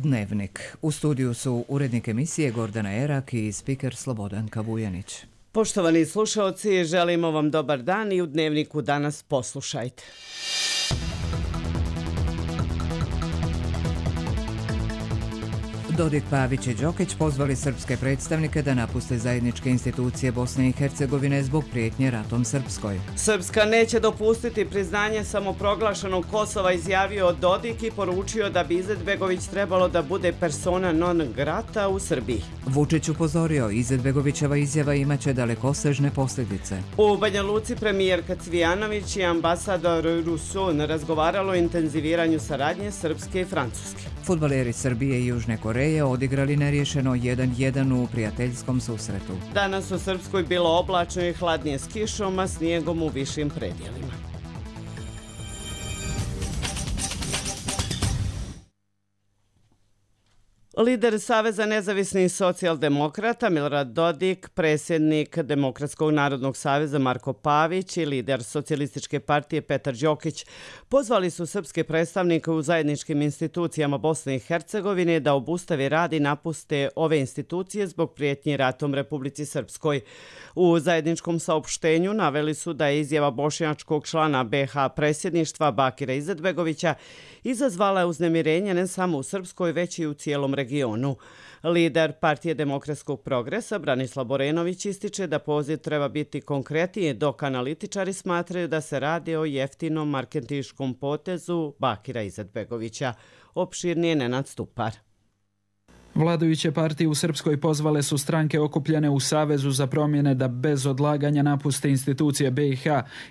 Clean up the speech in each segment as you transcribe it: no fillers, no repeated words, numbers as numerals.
Dnevnik. U studiju su urednik emisije Gordana Erak i spiker Slobodanka Vujanić. Poštovani slušalci, želimo vam dobar dan i u Dnevniku danas poslušajte. Dodik, Pavić i Đokić pozvali srpske predstavnike da napuste zajedničke institucije Bosne i Hercegovine zbog prijetnje ratom Srpskoj. Srpska neće dopustiti priznanje samoproglašenog Kosova, izjavio Dodik i poručio da bi Izetbegović trebalo da bude persona non grata u Srbiji. Vučić upozorio, Izetbegovićeva izjava imaće dalekosežne posljedice. U Banja Luci premijerka Cvijanović i ambasador Ruson razgovaralo o intenziviranju saradnje Srpske i Francuske. Fudbaleri Srbije i Južne Koreje odigrali nerješeno 1-1 u prijateljskom susretu. Danas u Srpskoj bilo oblačno i hladnije s kišom, a snijegom u višim predjelima. Lider Saveza nezavisnih socijaldemokrata Milorad Dodik, predsjednik Demokratskog narodnog saveza Marko Pavić i lider Socijalističke partije Petar Đokić pozvali su srpske predstavnike u zajedničkim institucijama Bosne i Hercegovine da obustave rad i napuste ove institucije zbog prijetnje ratom Republici Srpskoj. U zajedničkom saopštenju naveli su da je izjava bošnjačkog člana BiH predsjedništva Bakira Izetbegovića izazvala uznemirenje ne samo u Srpskoj, već i u cijelom regionu. Lider Partije demokratskog progresa Branislav Borenović ističe da poziv treba biti konkretniji, dok analitičari smatraju da se radi o jeftinom marketinškom potezu Bakira Izetbegovića. Opširnije Nenad Stupar. Vladajuće partije u Srpskoj pozvale su stranke okupljene u Savezu za promjene da bez odlaganja napuste institucije BiH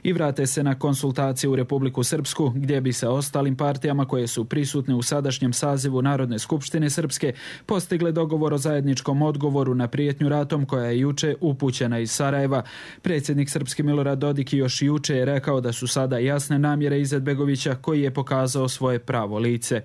i vrate se na konsultacije u Republiku Srpsku, gdje bi sa ostalim partijama koje su prisutne u sadašnjem sazivu Narodne skupštine Srpske postigle dogovor o zajedničkom odgovoru na prijetnju ratom koja je juče upućena iz Sarajeva. Predsjednik Srpski Milorad Dodik još juče je rekao da su sada jasne namjere Izetbegovića koji je pokazao svoje pravo lice.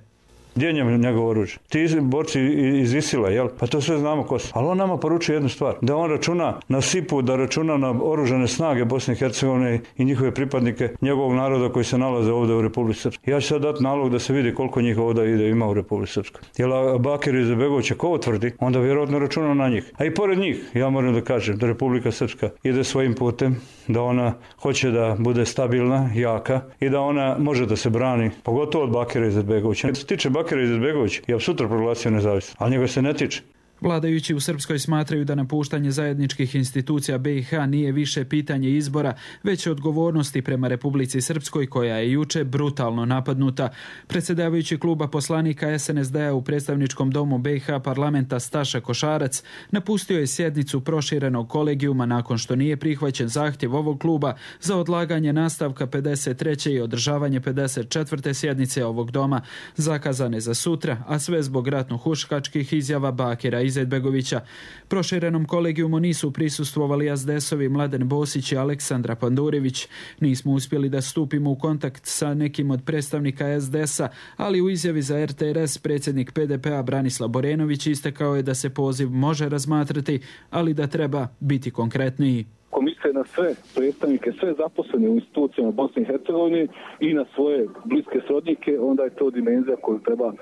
Gdje je njegovo oružje? Ti borci iz Isila, jel? Pa to sve znamo ko su. Ali on nama poručuje jednu stvar. Da on računa na SIP-u, da računa na oružane snage Bosne i Hercegovine i njihove pripadnike njegovog naroda koji se nalaze ovdje u Republici Srpskoj. Ja ću sad dati nalog da se vidi koliko njih ovdje ima u Republici Srpskoj. Jel Bakir Izetbegović ko tvrdi, onda vjerojatno računa na njih. A i pored njih, ja moram da kažem da Republika Srpska ide svojim putem, da ona hoće da bude stabilna, jaka i da ona može da se brani, pogotovo od Bakira Izetbegovića. Što se tiče Bakira Izetbegović, ja sutra proglasio nezavisno, ali njega se ne tiče. Vladajući u Srpskoj smatraju da napuštanje zajedničkih institucija BiH nije više pitanje izbora, već odgovornosti prema Republici Srpskoj koja je juče brutalno napadnuta. Predsjedavajući kluba poslanika SNSD-a u predstavničkom domu BiH parlamenta Staša Košarac napustio je sjednicu proširenog kolegijuma nakon što nije prihvaćen zahtjev ovog kluba za odlaganje nastavka 53. i održavanje 54. sjednice ovog doma, zakazane za sutra, a sve zbog ratno-huškačkih izjava Bakira Izetbegovića. Proširenom kolegijumu nisu prisustvovali SDS-ovi Mladen Bosić i Aleksandra Pandurević. Nismo uspjeli da stupimo u kontakt sa nekim od predstavnika SDS-a, ali u izjavi za RTRS predsjednik PDP-a Branislav Borenović istakao je da se poziv može razmatrati, ali da treba biti konkretniji. Komisija na sve predstavnike, sve zaposlene u institucijama Bosne i Hercegovine i na svoje bliske srodnike, onda je to dimenzija koju treba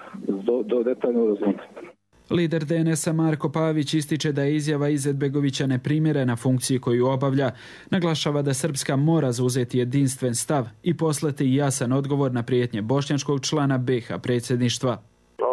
detaljno razmotriti. Lider DNS-a Marko Pavić ističe da je izjava Izetbegovića neprimjerena funkciji koju obavlja. Naglašava da Srpska mora zauzeti jedinstven stav i poslati jasan odgovor na prijetnje bošnjačkog člana BiH predsjedništva.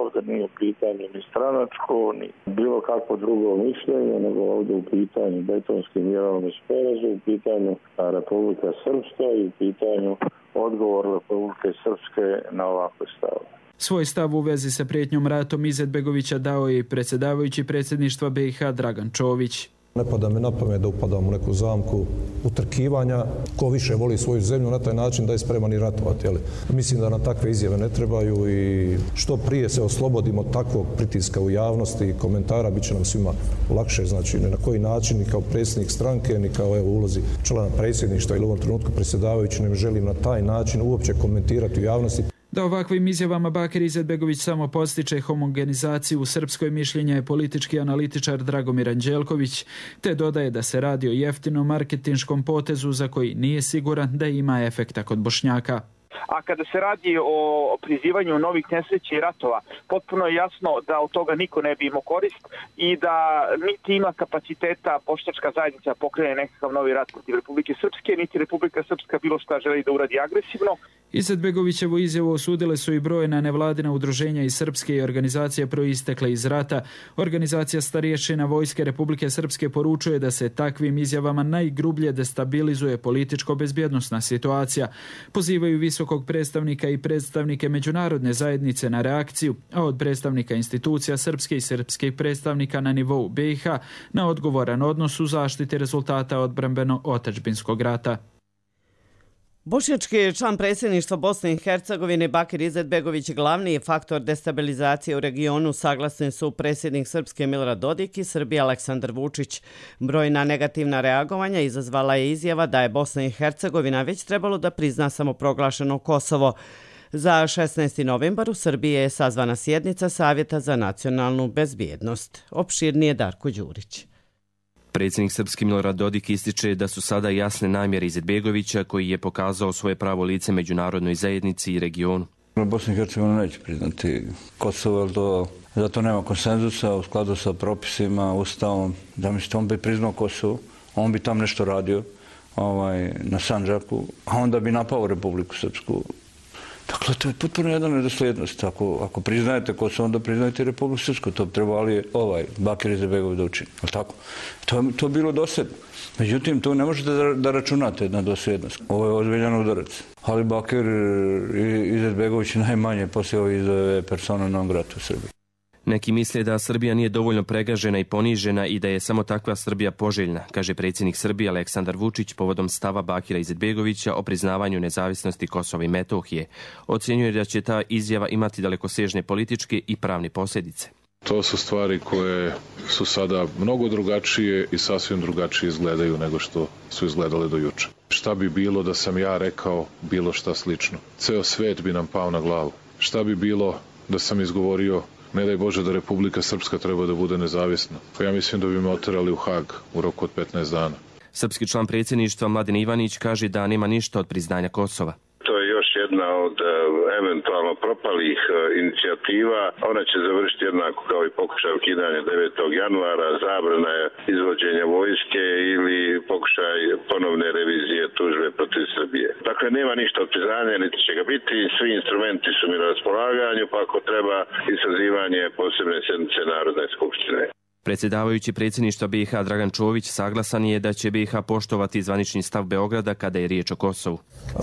Ovdje nije u pitanju ni stranačko, ni bilo kakvo drugo mišljenje, nego ovdje u pitanju betonski mirovni sporazum, u pitanju Republika Srpska i u pitanju odgovor Republike Srpske na ovakve stavove. Svoj stav u vezi sa prijetnjom ratom Izetbegovića dao je i predsjedavajući predsjedništva BiH Dragan Čović. Ne pada mi na pamet da upadam u neku zamku utrkivanja. Ko više voli svoju zemlju na taj način da je spreman i ratovati. Mislim da nam takve izjave ne trebaju i što prije se oslobodimo takvog pritiska u javnosti i komentara, bit će nam svima lakše. Znači, ne na koji način, ni kao predsjednik stranke, ni kao ulozi člana predsjedništva ili u ovom trenutku predsjedavajući, ne želim na taj način uopće komentirati u javnosti. Da ovakvim izjavama Bakir Izetbegović samo postiče homogenizaciju u Srpskoj, mišljenja je politički analitičar Dragomir Anđelković, te dodaje da se radi o jeftinom marketinškom potezu za koji nije siguran da ima efekta kod Bošnjaka. A kada se radi o prizivanju novih nesreća i ratova, potpuno je jasno da od toga niko ne bi imao korist i da niti ima kapaciteta bošnjačka zajednica pokrene nekakav novi rat protiv Republike Srpske, niti Republika Srpska bilo šta želi da uradi agresivno. Izetbegovićevu izjavu osudile su i brojna nevladina udruženja iz Srpske i organizacije proistekle iz rata. Organizacija starješina Vojske Republike Srpske poručuje da se takvim izjavama najgrublje destabilizuje političko-bezbjednosna situacija. Pozivaju visokog predstavnika i predstavnike međunarodne zajednice na reakciju, a od predstavnika institucija Srpske i srpskih predstavnika na nivou BiH na odgovoran odnos u zaštiti rezultata odbrambeno-otadžbinskog rata. Bošnjački član predsjedništva Bosne i Hercegovine Bakir Izetbegović glavni je faktor destabilizacije u regionu, saglasni su predsjednik Srpske Milorad Dodik i Srbije Aleksandar Vučić. Brojna negativna reagovanja izazvala je izjava da je Bosna i Hercegovina već trebalo da prizna samoproglašeno Kosovo. Za 16. novembar u Srbiji je sazvana sjednica Savjeta za nacionalnu bezbjednost. Opširnije Darko Đurić. Predsjednik Srpski Milorad Dodik ističe da su sada jasne namjere Izetbegovića koji je pokazao svoje pravo lice međunarodnoj zajednici i regionu. Bosna i Hercegovina neće priznati Kosovo, zato nema konsenzusa u skladu sa propisima, ustavom. Da mislite, on bi priznao Kosovo, on bi tam nešto radio na Sandžaku, a onda bi napao Republiku Srpsku. Dakle, to je potpuno jedna nedosljednost. Ako priznajete Kosovo, onda priznajete Republiku Srpsku. To bi trebali Bakir Izetbegović da učini. To je bilo dosljedno. Međutim, tu ne možete da računate na dosljednost. Ovo je ozbiljan udarac. Ali Bakir Izetbegović najmanje poslije ove izjave persona non grata u Srbiji. Neki misle da Srbija nije dovoljno pregažena i ponižena i da je samo takva Srbija poželjna, kaže predsjednik Srbije Aleksandar Vučić povodom stava Bakira Izetbegovića o priznavanju nezavisnosti Kosova i Metohije. Ocjenjuje da će ta izjava imati dalekosežne političke i pravne posljedice. To su stvari koje su sada mnogo drugačije i sasvim drugačije izgledaju nego što su izgledale do juče. Šta bi bilo da sam ja rekao bilo šta slično? Ceo svet bi nam pao na glavu. Šta bi bilo da sam izgovorio ne daj Bože da Republika Srpska treba da bude nezavisna? Ja mislim da bi me oterali u Hag u roku od 15 dana. Srpski član predsjedništva Mladen Ivanić kaže da nema ništa od priznanja Kosova. To je još jedna od eventualno propalih inicijativa. Ona će završiti jednako kao i pokušaj ukidanja 9. januara, zabrana izvođenja vojske ili pokušaj ponovne revizije tužbe protiv Srbije. Dakle, nema ništa od priznanja, niti će ga biti. Svi instrumenti su mi na raspolaganju, pa ako treba i sazivanje posebne sjednice Narodne skupštine. Predsjedavajući predsjedništva BiH Dragan Čović saglasan je da će BiH poštovati zvanični stav Beograda kada je riječ o Kosovu.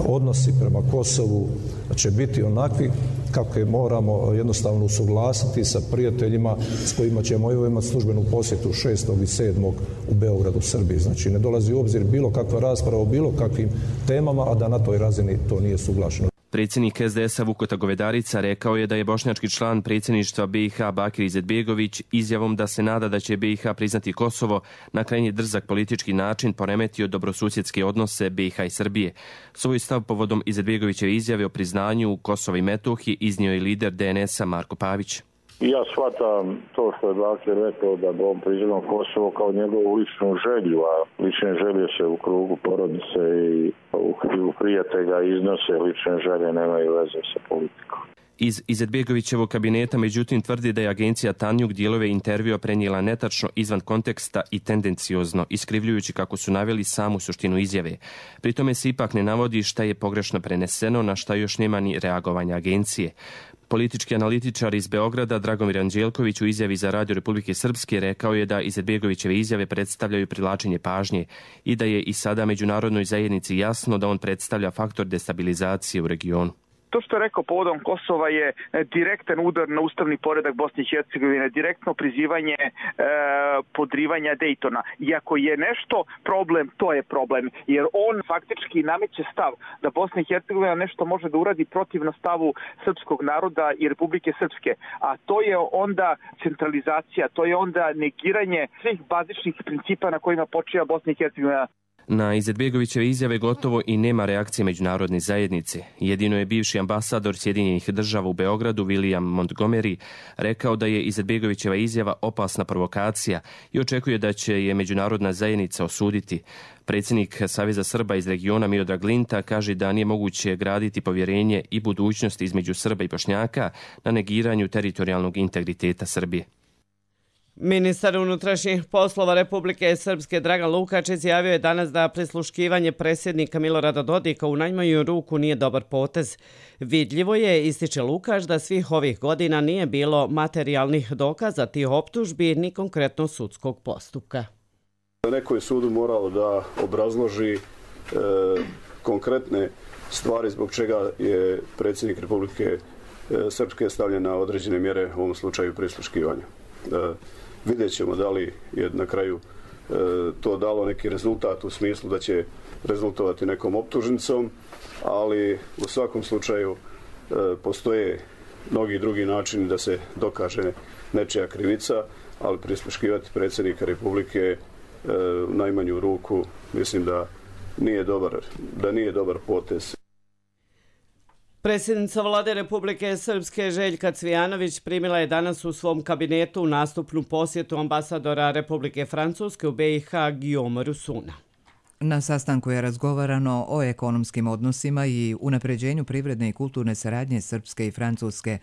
Odnosi prema Kosovu će biti onakvi kako je moramo jednostavno usuglasiti sa prijateljima s kojima ćemo imati službenu posjetu 6. i 7. u Beogradu, Srbiji. Znači, ne dolazi u obzir bilo kakva rasprava o bilo kakvim temama, a da na toj razini to nije suglašeno. Predsjednik SDS-a Vukota Govedarica rekao je da je bošnjački član predsjedništva BiH Bakir Izetbegović izjavom da se nada da će BiH priznati Kosovo na krajnji drzak politički način poremetio dobrosusjedske odnose BiH i Srbije. Svoj stav povodom Izetbegovićeve izjave o priznanju Kosova i Metohije iznio je lider DNS-a Marko Pavić. Ja shvatam to što je Bakir rekao da bi on priznao Kosovo kao njegovu ličnu želju, a lične želje se u krugu porodice i u krivu prijatelja iznose, lične želje nemaju veze sa politikom. Iz Izetbegovićevog kabineta međutim tvrdi da je agencija Tanjug dijelove intervjua prenijela netačno izvan konteksta i tendenciozno, iskrivljujući kako su naveli samu suštinu izjave. Pri tome se ipak ne navodi šta je pogrešno preneseno, na šta još nema ni reagovanja agencije. Politički analitičar iz Beograda Dragomir Anđelković u izjavi za Radio Republike Srpske rekao je da Izetbegovićeve izjave predstavljaju privlačenje pažnje i da je i sada međunarodnoj zajednici jasno da on predstavlja faktor destabilizacije u regionu. To što je rekao povodom Kosova je direktan udar na ustavni poredak Bosne i Hercegovine, direktno prizivanje podrivanja Dejtona. Iako je nešto problem, to je problem, jer on faktički nameće stav da Bosna i Hercegovina nešto može da uradi protivno stavu srpskog naroda i Republike Srpske. A to je onda centralizacija, to je onda negiranje svih bazičnih principa na kojima počiva Bosna i Hercegovina. Na Izetbegovićeve izjave gotovo i nema reakcije međunarodne zajednice. Jedino je bivši ambasador Sjedinjenih država u Beogradu, William Montgomery, rekao da je Izetbegovićeva izjava opasna provokacija i očekuje da će je međunarodna zajednica osuditi. Predsjednik Saveza Srba iz regiona Miodrag Linta kaže da nije moguće graditi povjerenje i budućnost između Srba i Bošnjaka na negiranju teritorijalnog integriteta Srbije. Ministar unutrašnjih poslova Republike Srpske Dragan Lukač izjavio je danas da prisluškivanje predsjednika Milorada Dodika u najmanju ruku nije dobar potez. Vidljivo je, ističe Lukač, da svih ovih godina nije bilo materijalnih dokaza tih optužbi ni konkretno sudskog postupka. Neko je sudu morao da obrazloži konkretne stvari zbog čega je predsjednik Republike Srpske stavljen na određene mjere, u ovom slučaju prisluškivanja. Vidjet ćemo da li je na kraju to dalo neki rezultat u smislu da će rezultovati nekom optužnicom, ali u svakom slučaju postoje mnogi drugi načini da se dokaže nečija krivica, ali prisluškivati predsjednika Republike u najmanju ruku mislim da nije dobar potez. Predsjednica Vlade Republike Srpske Željka Cvijanović primila je danas u svom kabinetu nastupnu posjetu ambasadora Republike Francuske u BiH Guillaume Rousuna. Na sastanku je razgovarano o ekonomskim odnosima i unapređenju privredne i kulturne saradnje Srpske i Francuske.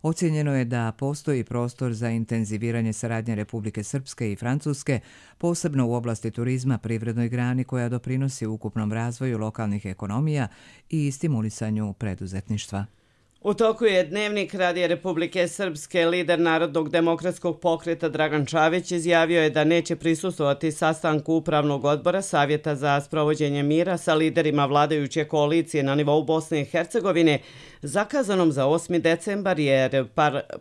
Ocijenjeno je da postoji prostor za intenziviranje saradnje Republike Srpske i Francuske, posebno u oblasti turizma, privrednoj grani koja doprinosi ukupnom razvoju lokalnih ekonomija i stimulisanju preduzetništva. U toku je Dnevnik Radija Republike Srpske. Lider Narodnog demokratskog pokreta Dragan Čavić izjavio je da neće prisustvovati sastanku Upravnog odbora Savjeta za sprovođenje mira sa liderima vladajuće koalicije na nivou Bosne i Hercegovine, zakazanom za 8. decembar jer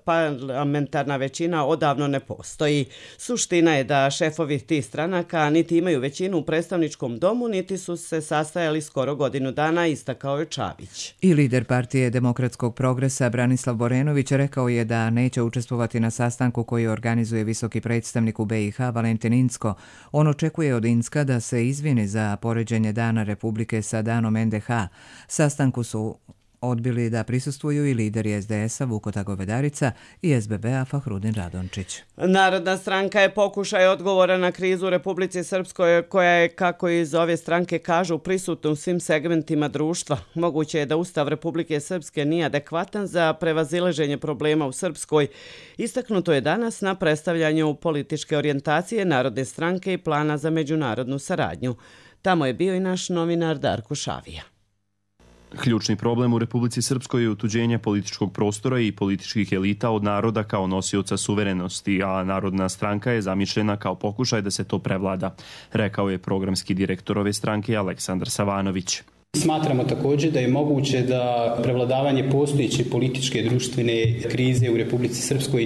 parlamentarna većina odavno ne postoji. Suština je da šefovi tih stranaka niti imaju većinu u predstavničkom domu, niti su se sastajali skoro godinu dana, istakao je Čavić. I lider partije Demokratskog progresa Branislav Borenović rekao je da neće učestvovati na sastanku koji organizuje visoki predstavnik u BiH Valentin Incko. On očekuje od Incka da se izvini za poređenje Dana Republike sa danom NDH. Sastanku su odbili da prisustvuju i lideri SDS-a Vukota Govedarica i SBB-a Fahrudin Radončić. Narodna stranka je pokušaj odgovora na krizu u Republici Srpskoj koja je, kako iz ove stranke kažu, prisutna u svim segmentima društva. Moguće je da Ustav Republike Srpske nije adekvatan za prevazilaženje problema u Srpskoj. Istaknuto je danas na predstavljanju političke orijentacije Narodne stranke i plana za međunarodnu saradnju. Tamo je bio i naš novinar Darko Šavija. Ključni problem u Republici Srpskoj je otuđenje političkog prostora i političkih elita od naroda kao nosioca suverenosti, a Narodna stranka je zamišljena kao pokušaj da se to prevlada, rekao je programski direktor ove stranke Aleksandar Savanović. Smatramo također da je moguće da prevladavanje postojeće političke društvene krize u Republici Srpskoj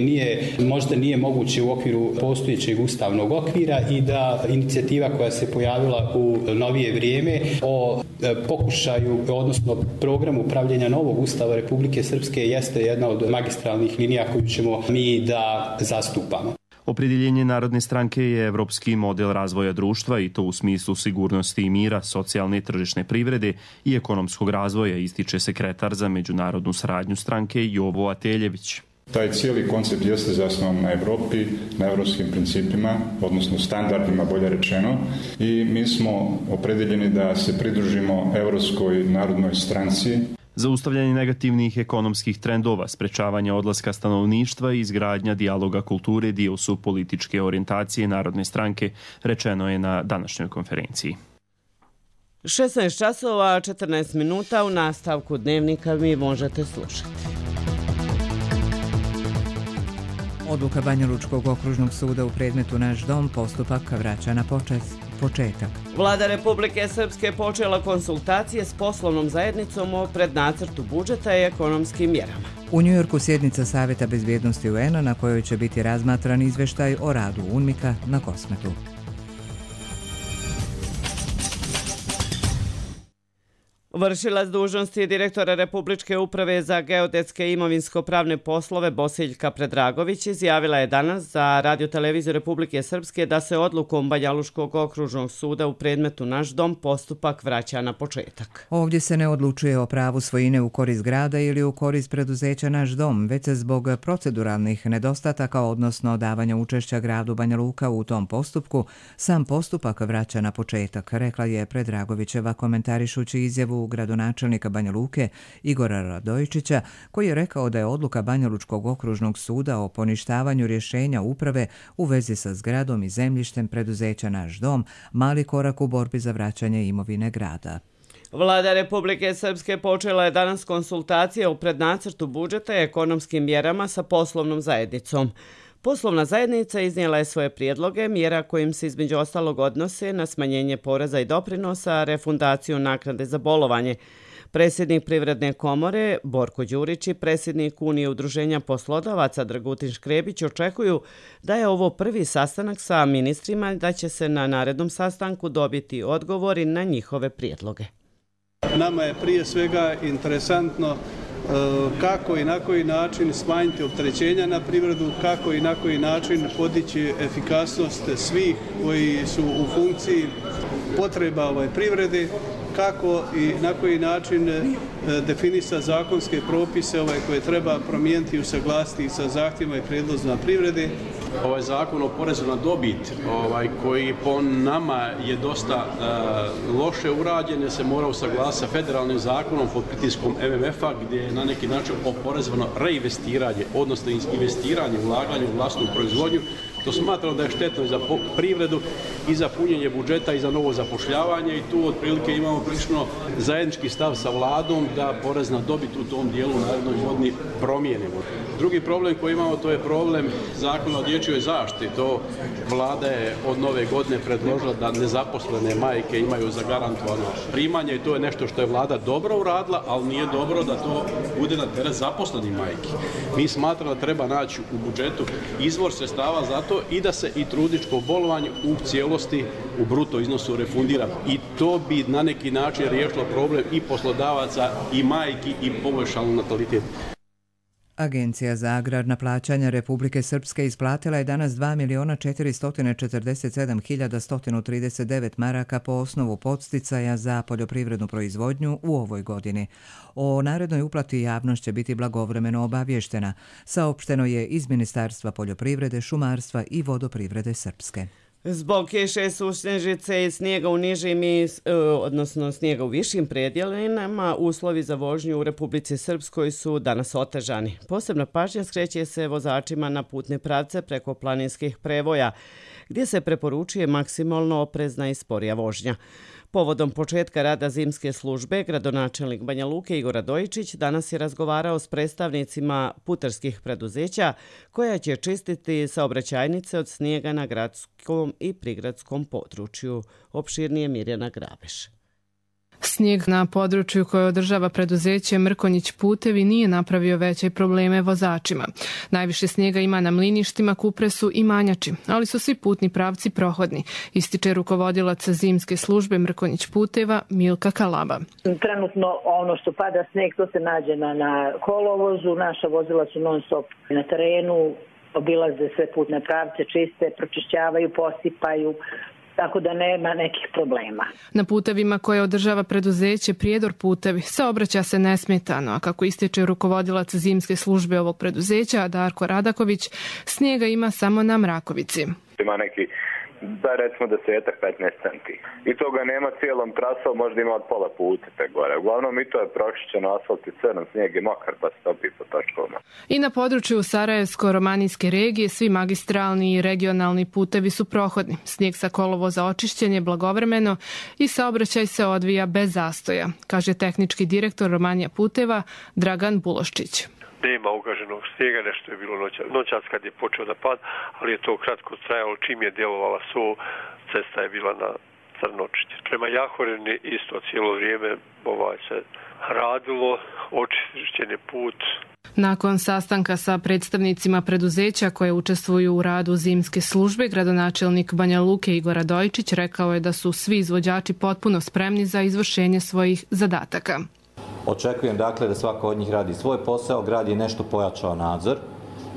možda nije moguće u okviru postojećeg ustavnog okvira i da inicijativa koja se pojavila u novije vrijeme o pokušaju, odnosno programu pravljenja novog ustava Republike Srpske jeste jedna od magistralnih linija koju ćemo mi da zastupamo. Opredjeljenje Narodne stranke je evropski model razvoja društva i to u smislu sigurnosti i mira, socijalne i tržišne privrede i ekonomskog razvoja, ističe sekretar za međunarodnu saradnju stranke Jovo Ateljević. Taj cijeli koncept jeste zasnovan na Evropi, na evropskim principima, odnosno standardima, bolje rečeno, i mi smo opredeljeni da se pridružimo Evropskoj narodnoj stranci. Zaustavljanje negativnih ekonomskih trendova, sprečavanje odlaska stanovništva i izgradnja dijaloga kulture dio su političke orijentacije Narodne stranke, rečeno je na današnjoj konferenciji. 16 časova, 14 minuta u nastavku Dnevnika mi možete slušati. Odluka Banjalučkog okružnog suda u predmetu Naš dom postupak vraća na početak. Vlada Republike Srpske počela konsultacije s poslovnom zajednicom o prednacrtu budžeta i ekonomskim mjerama. U Njujorku sjednica Savjeta bezbjednosti UN-a na kojoj će biti razmatran izveštaj o radu UNMIK-a na Kosmetu. Vršilac dužnosti direktora Republičke uprave za geodetske i imovinsko-pravne poslove Bosiljka Predragović izjavila je danas za Radio-televiziju Republike Srpske da se odlukom Banjaluškog okružnog suda u predmetu Naš dom postupak vraća na početak. Ovdje se ne odlučuje o pravu svojine u korist grada ili u korist preduzeća Naš dom, već se zbog proceduralnih nedostataka, odnosno davanja učešća gradu Banja Luka u tom postupku, sam postupak vraća na početak, rekla je Predragovićeva komentarišući izjavu gradonačelnika Banja Luke Igora Radojičića, koji je rekao da je odluka Banjalučkog okružnog suda o poništavanju rješenja uprave u vezi sa zgradom i zemljištem preduzeća Naš dom mali korak u borbi za vraćanje imovine grada. Vlada Republike Srpske počela je danas konsultacije o prednacrtu budžeta i ekonomskim mjerama sa poslovnom zajednicom. Poslovna zajednica iznijela je svoje prijedloge, mjera kojim se između ostalog odnose na smanjenje poreza i doprinosa, refundaciju naknade za bolovanje. Predsjednik Privredne komore Borko Đurić i predsjednik Unije udruženja poslodavaca Dragutin Škrebić očekuju da je ovo prvi sastanak sa ministrima i da će se na narednom sastanku dobiti odgovori na njihove prijedloge. Nama je prije svega interesantno kako i na koji način smanjiti opterećenja na privredu, kako i na koji način podići efikasnost svih koji su u funkciji potreba privrede, kako i na koji način definisati zakonske propise koje treba promijeniti i usaglasiti sa zahtjevima i prijedlozima privrede. Ovaj zakon o porezu na dobit, koji po nama je dosta loše urađen, se mora usaglasiti sa federalnim zakonom pod pritiskom MMF-a, gdje je na neki način oporezovano reinvestiranje, odnosno investiranje, ulaganje u vlastnu proizvodnju. To smatramo da je štetno i za privredu i za punjenje budžeta i za novo zapošljavanje i tu otprilike imamo prilično zajednički stav sa vladom da porez na dobit u tom dijelu u narednoj godini promijenimo. Drugi problem koji imamo to je problem zakona o dječjoj zaštiti. To vlada je od nove godine predložila da nezaposlene majke imaju zagarantovano primanje i to je nešto što je vlada dobro uradila, ali nije dobro da to bude na teret zaposlenih majki. Mi smatramo da treba naći u budžetu izvor sredstava za to i da se i trudničko bolovanje u cijelosti u bruto iznosu refundira. I to bi na neki način riješilo problem i poslodavaca i majki i poboljšalo natalitet. Agencija za agrarna plaćanja Republike Srpske isplatila je danas 2.447.139 maraka po osnovu podsticaja za poljoprivrednu proizvodnju u ovoj godini. O narednoj uplati javnost će biti blagovremeno obavještena, saopšteno je iz Ministarstva poljoprivrede, šumarstva i vodoprivrede Srpske. Zbog kiše, sušnežice i snijega u nižim odnosno snijega u višim predjelima, uslovi za vožnju u Republici Srpskoj su danas otežani. Posebna pažnja skreće se vozačima na putne pravce preko planinskih prevoja, gdje se preporučuje maksimalno oprezna i sporija vožnja. Povodom početka rada zimske službe, gradonačelnik Banja Luke Igor Radojičić danas je razgovarao s predstavnicima putarskih preduzeća koja će čistiti saobraćajnice od snijega na gradskom i prigradskom području. Opširnije Mirjana Grabeš. Snijeg na području koje održava preduzeće Mrkonjić putevi nije napravio veće probleme vozačima. Najviše snijega ima na Mliništima, Kupresu i Manjači, ali su svi putni pravci prohodni, ističe rukovodilac zimske službe Mrkonjić puteva Milka Kalaba. Trenutno ono što pada snijeg to se nađe na kolovozu, naša vozila su non stop na terenu, obilaze sve putne pravce, čiste, pročišćavaju, posipaju, tako da nema nekih problema. Na putevima koje održava preduzeće Prijedor putevi saobraća se nesmetano, a kako ističe rukovodilac zimske službe ovog preduzeća Darko Radaković, snijega ima samo na Mrakovici. Ima neki, da recimo 10-15 centi. I toga nema cijelom trasom, možda ima od pola puta te gore. Uglavnom i to je pročišćeno, asfalt i crn, snijeg je mokar pa se topi po točkovima. I na području Sarajevsko-romanijske regije svi magistralni i regionalni putevi su prohodni. Snijeg sa kolovoza očišćen je blagovremeno i saobraćaj se odvija bez zastoja, kaže tehnički direktor Romanija puteva Dragan Buloščić. Nema ugaženog snijega, nešto je bilo noćas kad je počeo da pad, ali je to kratko trajalo, čim je djelovala cesta je bila na crnočišće. Prema Jahoreni isto cijelo vrijeme se radilo, očišćen je put Nakon sastanka sa predstavnicima preduzeća koje učestvuju u radu zimske službe, gradonačelnik Banja Luke Igor Radojičić rekao je da su svi izvođači potpuno spremni za izvršenje svojih zadataka. Očekujem dakle da svako od njih radi svoj posao, grad je nešto pojačao nadzor.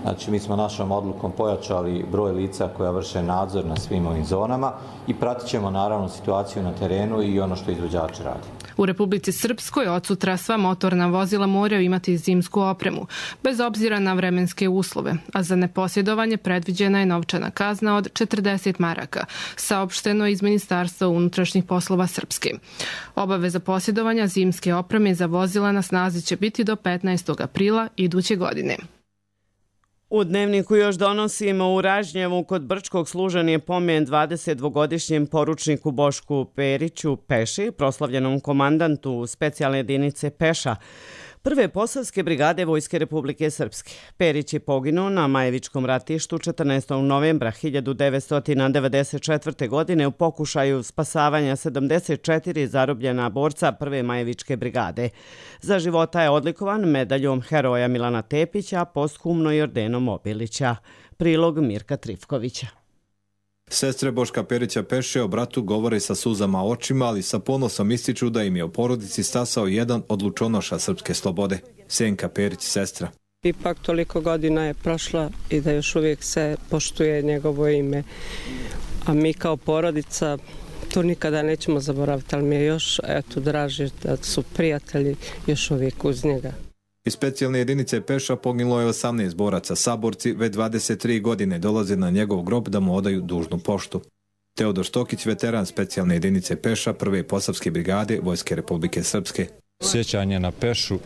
Znači mi smo našom odlukom pojačali broj lica koja vrše nadzor na svim ovim zonama i pratit ćemo naravno situaciju na terenu i ono što izvođači radi. U Republici Srpskoj od sutra sva motorna vozila moraju imati zimsku opremu, bez obzira na vremenske uslove, a za neposjedovanje predviđena je novčana kazna od 40 maraka, saopšteno iz Ministarstva unutrašnjih poslova Srpske. Obaveza posjedovanja zimske opreme za vozila na snazi će biti do 15. aprila iduće godine. U Dnevniku još donosimo u Ražnjevu kod Brčkog služen je pomen 22-godišnjem poručniku Bošku Periću Peši, proslavljenom komandantu specijalne jedinice Peša, Prve posavske brigade Vojske Republike Srpske. Perić je poginuo na Majevičkom ratištu 14. novembra 1994. godine u pokušaju spasavanja 74 zarobljena borca Prve Majevičke brigade. Za života je odlikovan medaljom Heroja Milana Tepića, posthumno i ordenom Obilića. Prilog Mirka Trifkovića. Sestre Boška Perića Peše o bratu govore sa suzama očima, ali sa ponosom ističu da im je u porodici stasao jedan od lučonoša srpske slobode. Senka Perić, sestra. Ipak toliko godina je prošla i da još uvijek se poštuje njegovo ime. A mi kao porodica to nikada nećemo zaboraviti, ali mi je još draže da su prijatelji još uvijek uz njega. Iz specijalne jedinice Peša poginulo je 18 boraca. Saborci već 23 godine dolaze na njegov grob da mu odaju dužnu poštu. Teodor Štokić, veteran specijalne jedinice Peša, Prve posavske brigade Vojske Republike Srpske. Sjećanje na Pešu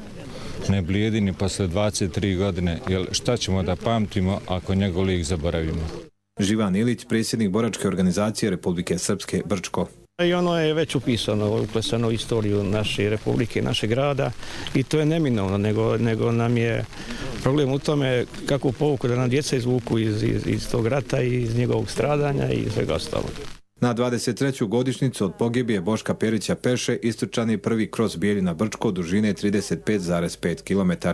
ne blijedi ni posle 23 godine, jer šta ćemo da pamtimo ako njegov lik zaboravimo? Živan Ilić, predsjednik boračke organizacije Republike Srpske, Brčko. I ono je već upisano, uklesano u istoriju naše republike, našeg grada i to je neminovno, nego nam je problem u tome kakvu pouku da nam djeca izvuku iz tog rata i iz njegovog stradanja i svega ostalog. Na 23. godišnjicu od pogibije Boška Perića Peše istrčan je prvi kros Bijeljina Brčko dužine 35,5 km.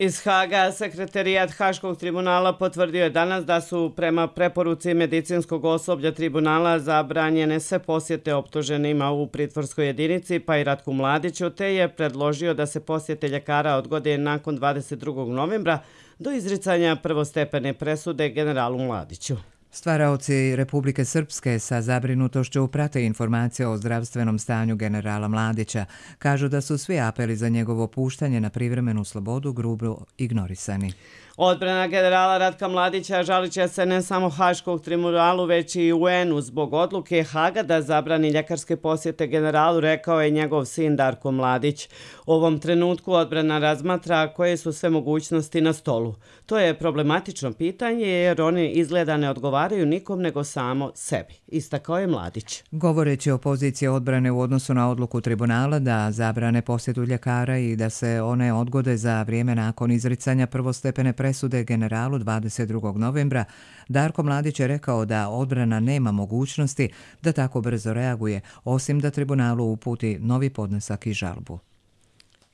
Iz Haga sekretarijat Haškog tribunala potvrdio je danas da su prema preporuci medicinskog osoblja tribunala zabranjene sve posjete optuženima u pritvorskoj jedinici, pa i Ratku Mladiću, te je predložio da se posjete ljekara odgode nakon 22. novembra do izricanja prvostepene presude generalu Mladiću. Stvaraoci Republike Srpske sa zabrinutošću prate informacije o zdravstvenom stanju generala Mladića. Kažu da su svi apeli za njegovo puštanje na privremenu slobodu grubo ignorisani. Odbrana generala Ratka Mladića žalit će se ne samo Haškog tribunalu, već i UN-u zbog odluke Haga da zabrani ljekarske posjete generalu, rekao je njegov sin Darko Mladić. U ovom trenutku odbrana razmatra koje su sve mogućnosti na stolu. To je problematično pitanje jer oni izgleda ne odgovaraju nikom nego samo sebi, istakao je Mladić. Govoreći o poziciji odbrane u odnosu na odluku tribunala da zabrane posjetu ljekara i da se one odgode za vrijeme nakon izricanja prvostepene presude generalu 22. novembra, Darko Mladić je rekao da odbrana nema mogućnosti da tako brzo reaguje, osim da tribunalu uputi novi podnesak i žalbu.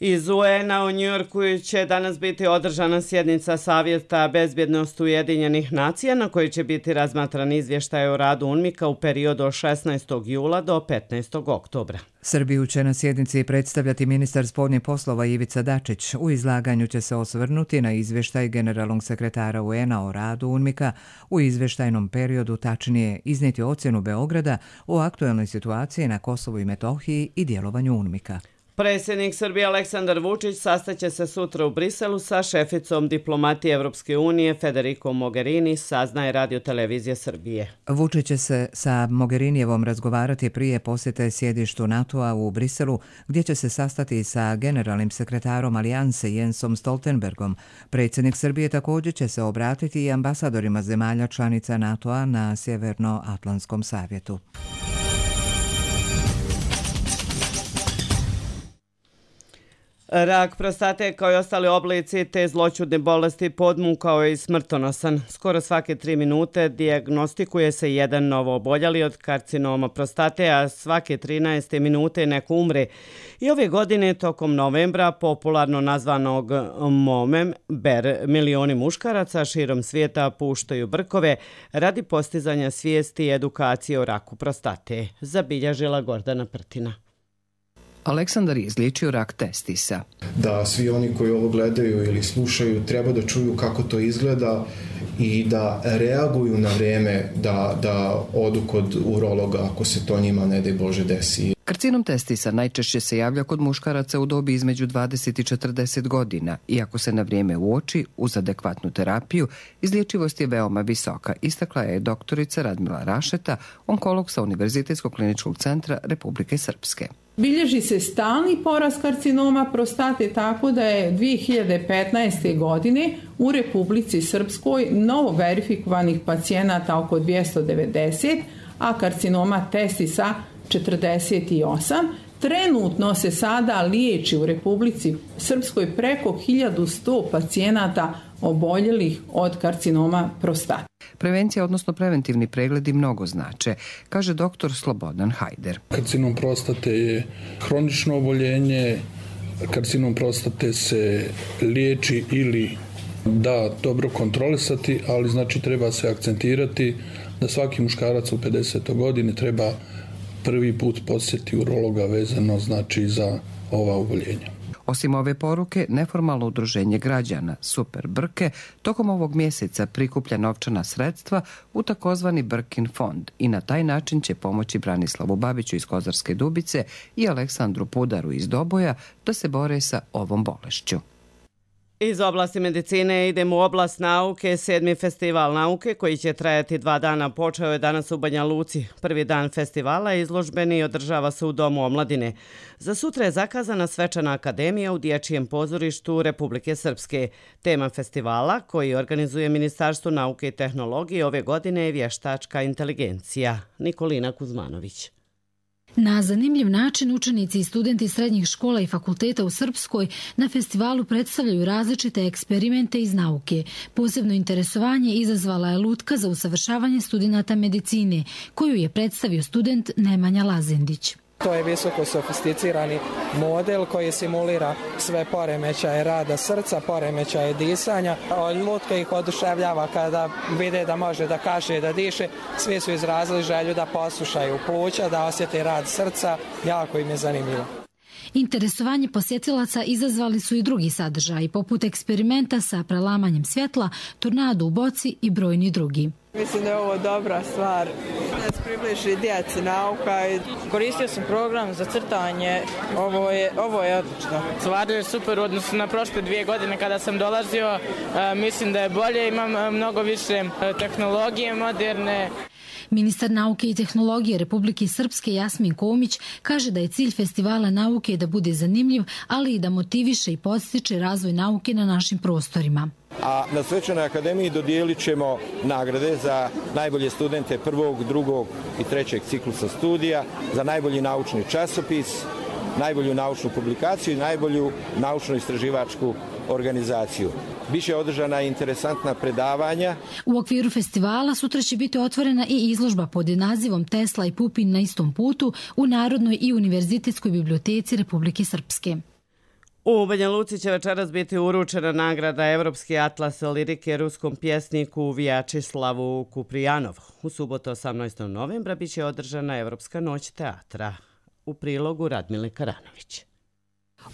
Iz UN-a u Njujorku će danas biti održana sjednica Savjeta bezbjednosti Ujedinjenih nacija na kojoj će biti razmatran izvještaj o radu UNMIK-a u periodu od 16. jula do 15. oktobra. Srbiju će na sjednici predstavljati ministar spoljnih poslova Ivica Dačić. U izlaganju će se osvrnuti na izvještaj generalnog sekretara UN-a o radu UNMIK-a u izvještajnom periodu, tačnije iznijeti ocjenu Beograda o aktuelnoj situaciji na Kosovu i Metohiji i djelovanju UNMIK-a. Predsjednik Srbije Aleksandar Vučić sastaće se sutra u Briselu sa šeficom diplomatije Evropske unije Federico Mogherini, saznaje Radio televizija Srbije. Vučić će se sa Mogherinijevom razgovarati prije posjete sjedištu NATO-a u Briselu, gdje će se sastati sa generalnim sekretarom Alijanse Jensom Stoltenbergom. Predsjednik Srbije također će se obratiti i ambasadorima zemalja članica NATO-a na Sjevernoatlantskom savjetu. Rak prostate kao i ostali oblici te zloćudne bolesti podmukao je i smrtonosan. Skoro svake 3 minute dijagnostikuje se jedan novo oboljeli od karcinoma prostate, a svake 13 minute neko umre. I ove godine tokom novembra, popularno nazvanog MOMEM, milioni muškaraca širom svijeta puštaju brkove radi postizanja svijesti i edukacije o raku prostate. Zabilježila Gordana Prtina. Aleksandar je izliječio rak testisa. Da svi oni koji ovo gledaju ili slušaju treba da čuju kako to izgleda i da reaguju na vrijeme da odu kod urologa ako se to njima ne daj Bože desi. Karcinom testisa najčešće se javlja kod muškaraca u dobi između 20 i 40 godina. Iako se na vrijeme uoči uz adekvatnu terapiju, izlječivost je veoma visoka, istakla je doktorica Radmila Rašeta, onkolog sa Univerzitetskog kliničkog centra Republike Srpske. Bilježi se stalni porast karcinoma prostate, tako da je 2015. godine u Republici Srpskoj novo verifikovanih pacijenata oko 290, a karcinoma testisa 48. Trenutno se sada liječi u Republici Srpskoj preko 1100 pacijenata oboljelih od karcinoma prostate. Prevencija, odnosno preventivni pregledi mnogo znače, kaže dr. Slobodan Hajder. Karcinom prostate je hronično oboljenje, karcinom prostate se liječi ili da dobro kontrolisati, ali znači treba se akcentirati da svaki muškarac u 50. godini treba prvi put posjeti urologa vezano znači za ova oboljenja. Osim ove poruke, neformalno udruženje građana Super Brke tokom ovog mjeseca prikuplja novčana sredstva u takozvani Brkin fond i na taj način će pomoći Branislavu Babiću iz Kozarske Dubice i Aleksandru Pudaru iz Doboja da se bore sa ovom bolešću. Iz oblasti medicine idemo u oblast nauke. 7. festival nauke koji će trajati 2 dana počeo je danas u Banja Luci. Prvi dan festivala je izložbeni i održava se u Domu omladine. Za sutra je zakazana svečana akademija u Dječjem pozorištu Republike Srpske. Tema festivala koji organizuje Ministarstvo nauke i tehnologije ove godine je vještačka inteligencija. Nikolina Kuzmanović. Na zanimljiv način učenici i studenti srednjih škola i fakulteta u Srpskoj na festivalu predstavljaju različite eksperimente iz nauke. Posebno interesovanje izazvala je lutka za usavršavanje studenata medicine, koju je predstavio student Nemanja Lazendić. To je visoko sofisticirani model koji simulira sve poremećaje rada srca, poremećaje disanja. Lutka ih oduševljava kada vide da može da kaše i da diše. Svi su izrazili želju da poslušaju pluća, da osjete rad srca. Jako im je zanimljivo. Interesovanje posjetilaca izazvali su i drugi sadržaji, poput eksperimenta sa prelamanjem svjetla, tornado u boci i brojni drugi. Mislim da je ovo dobra stvar. Da se približi djeci nauka. Koristio sam program za crtanje. Ovo je odlično. Stvarno je super u odnosu na prošle 2 godine kada sam dolazio. Mislim da je bolje, imam mnogo više tehnologije moderne. Ministar nauke i tehnologije Republike Srpske Jasmin Komić kaže da je cilj festivala nauke da bude zanimljiv, ali i da motiviše i podstiče razvoj nauke na našim prostorima. A na svečanoj akademiji dodijelit ćemo nagrade za najbolje studente 1., 2. i 3. ciklusa studija, za najbolji naučni časopis, najbolju naučnu publikaciju i najbolju naučno-istraživačku organizaciju. Biće održana interesantna predavanja. U okviru festivala sutra će biti otvorena i izložba pod nazivom Tesla i Pupin na istom putu u Narodnoj i Univerzitetskoj biblioteci Republike Srpske. U Banja Luci će večeras biti uručena nagrada Evropski atlas lirike ruskom pjesniku Vjačislavu Kuprijanovu. U subotu 18. novembra biće održana Evropska noć teatra. U prilogu Radmile Karanović.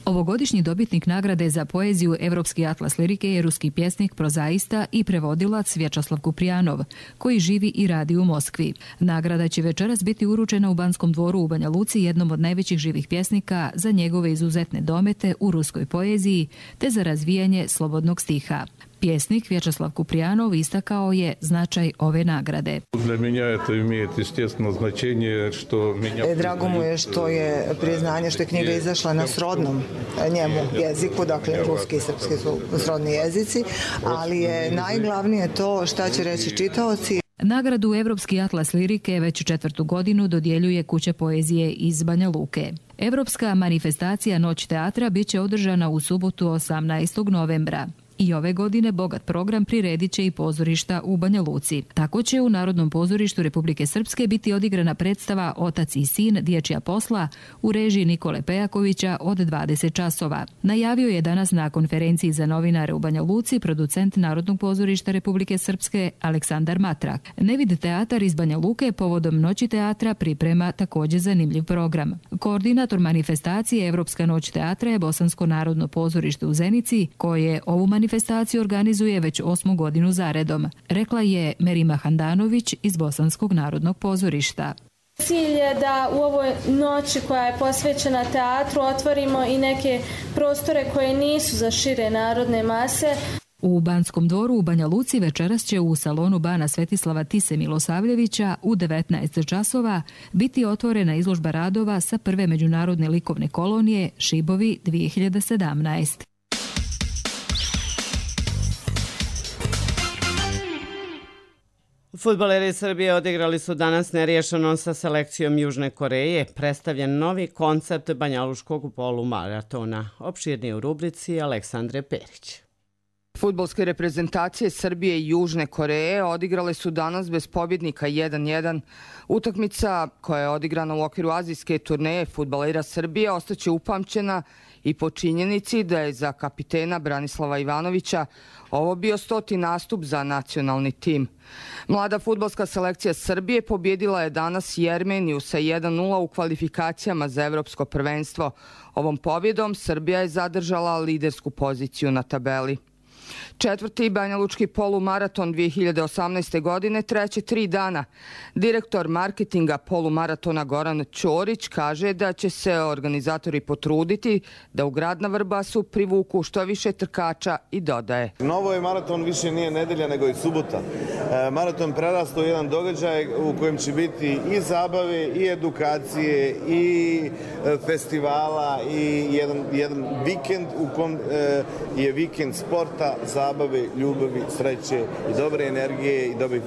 Ovogodišnji dobitnik nagrade za poeziju Evropski atlas lirike je ruski pjesnik, prozaista i prevodilac Vjačeslav Kuprijanov, koji živi i radi u Moskvi. Nagrada će večeras biti uručena u Banskom dvoru u Banja Luci, jednom od najvećih živih pjesnika, za njegove izuzetne domete u ruskoj poeziji te za razvijanje slobodnog stiha. Pjesnik Vjačeslav Kuprijanov istakao je značaj ove nagrade. Drago mu je što je priznanje što je knjiga izašla na srodnom njemu jeziku, dakle ruski i srpski su srodni jezici, ali je najglavnije to šta će reći čitaoci. Nagradu Evropski atlas lirike već 4. godinu dodjeljuje Kuća poezije iz Banja Luke. Evropska manifestacija Noć teatra bit će održana u subotu 18. novembra. I ove godine bogat program priredit će i pozorišta u Banja Luci. Tako će u Narodnom pozorištu Republike Srpske biti odigrana predstava Otac i sin, dječja posla u režiji Nikole Pejakovića od 20 časova. Najavio je danas na konferenciji za novinare u Banja Luci producent Narodnog pozorišta Republike Srpske Aleksandar Matrak. Nevid teatar iz Banja Luke povodom Noći teatra priprema također zanimljiv program. Koordinator manifestacije Evropska noć teatra je Bosansko narodno pozorište u Zenici, koje ovu manifestaciju organizuje već 8. godinu zaredom, rekla je Merima Handanović iz Bosanskog narodnog pozorišta. Cilj je da u ovoj noći koja je posvećena teatru otvorimo i neke prostore koje nisu za šire narodne mase. U Banskom dvoru u Banja Luci večeras će u salonu Bana Svetislava Tise Milosavljevića u 19 časova biti otvorena izložba radova sa prve međunarodne likovne kolonije Šibovi 2017. Fudbaleri Srbije odigrali su danas neriješeno sa selekcijom Južne Koreje. Predstavljen novi koncept banjaluškog polumaratona. Opširnije u rubrici Aleksandre Perić. Fudbalske reprezentacije Srbije i Južne Koreje odigrale su danas bez pobjednika 1-1. Utakmica koja je odigrana u okviru azijske turneje fudbalera Srbije ostaće upamćena i po činjenici da je za kapitena Branislava Ivanovića ovo bio 100. nastup za nacionalni tim. Mlada fudbalska selekcija Srbije pobjedila je danas Jermeniju sa 1-0 u kvalifikacijama za evropsko prvenstvo. Ovom pobjedom Srbija je zadržala lidersku poziciju na tabeli. 4. banjalučki polumaraton 2018. godine treće 3 dana. Direktor marketinga polumaratona Goran Ćorić kaže da će se organizatori potruditi da u grad na Vrbasu privuku što više trkača i dodaje. Novo je maraton više nije nedelja nego i subota. Maraton prerastao jedan događaj u kojem će biti i zabave i edukacije i festivala i jedan vikend u kom je vikend sporta, zabave, ljubavi, sreće i dobre energije i dobre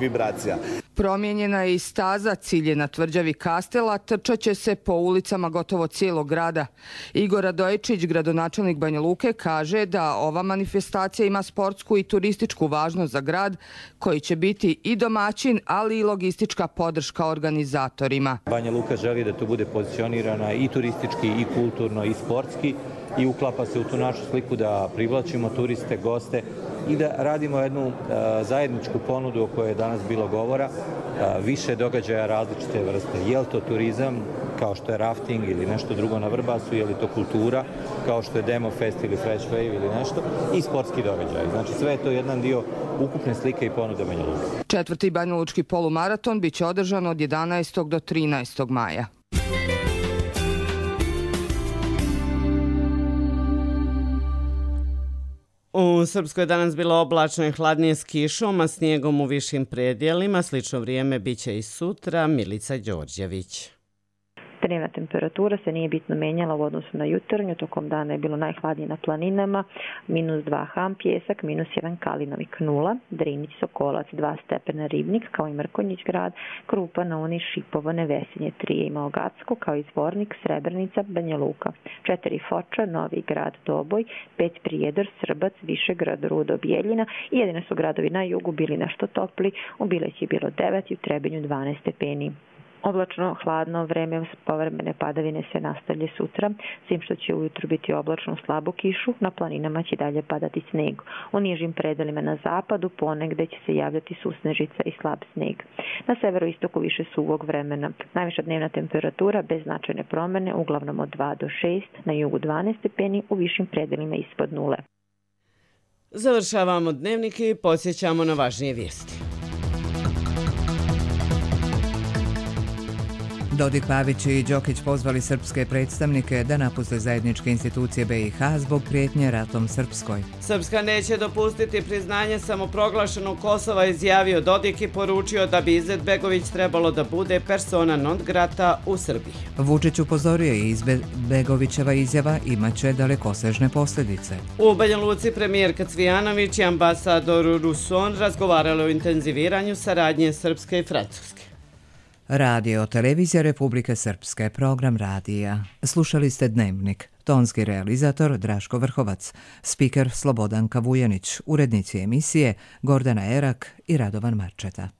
vibracija. Promijenjena je i staza, cilj je na tvrđavi Kastela, trčat će se po ulicama gotovo cijelog grada. Igor Radojičić, gradonačelnik Banja Luke, kaže da ova manifestacija ima sportsku i turističku važnost za grad, koji će biti i domaćin, ali i logistička podrška organizatorima. Banja Luka želi da to bude pozicionirana i turistički, i kulturno, i sportski, i uklapa se u tu našu sliku da privlačimo turiste, goste i da radimo jednu zajedničku ponudu o kojoj je danas bilo govora, više događaja različite vrste. Je li to turizam, kao što je rafting ili nešto drugo na Vrbasu, je li to kultura, kao što je Demo Fest ili Fresh Wave ili nešto, i sportski događaj. Znači sve je to jedan dio ukupne slike i ponude Banja Luke. 4. banjalučki polumaraton biće održan od 11. do 13. maja. U Srpskoj je danas bilo oblačno i hladnije s kišom, a snijegom u višim predjelima. Slično vrijeme biće i sutra. Milica Đorđević. Dnevna temperatura se nije bitno menjala u odnosu na jutarnju. Tokom dana je bilo najhladnije na planinama, -2 Ham Pjesak, -1 Kalinovik 0, Drinić Sokolac 2 stepena Ribnik, kao i Mrkonjić grad, Krupa, Nouni, Šipovo, Nevesinje 3 i Malgacko, kao i Zvornik, Srebrenica, Banja Luka, 4 Foča, Novi grad, Doboj, 5 Prijedor, Srbac, Višegrad, Rudo, Bijeljina i jedine su gradovi na jugu bili nešto topli, u Bileći je bilo 9 i u Trebinju 12 stepeni. Oblačno, hladno vreme, povremene padavine se nastavlja sutra, s tim što će ujutru biti oblačno slabu kišu, na planinama će dalje padati sneg. U nižim predelima na zapadu ponegde će se javljati susnežica i slab sneg. Na severoistoku više suvog vremena. Najviša dnevna temperatura bez značajne promjene, uglavnom od 2 do 6, na jugu 12 stepeni, u višim predelima ispod 0. Završavamo dnevnik i podsjećamo na važnije vijesti. Dodik, Pavić i Đokić pozvali srpske predstavnike da napuste zajedničke institucije BiH zbog prijetnje ratom Srpskoj. Srpska neće dopustiti priznanje samoproglašenog Kosova, izjavio Dodik i poručio da bi Izetbegović trebalo da bude persona non grata u Srbiji. Vučić upozorio i Izetbegovićeva izjava imaće dalekosežne posljedice. U Banja Luci premijerka Cvijanović i ambasador Russon razgovarali o intenziviranju saradnje Srpske i Francuske. Radio Televizija Republike Srpske, program radija. Slušali ste Dnevnik. Tonski realizator Draško Vrhovac, spiker Slobodanka Vujanić, urednici emisije Gordana Erak i Radovan Marčeta.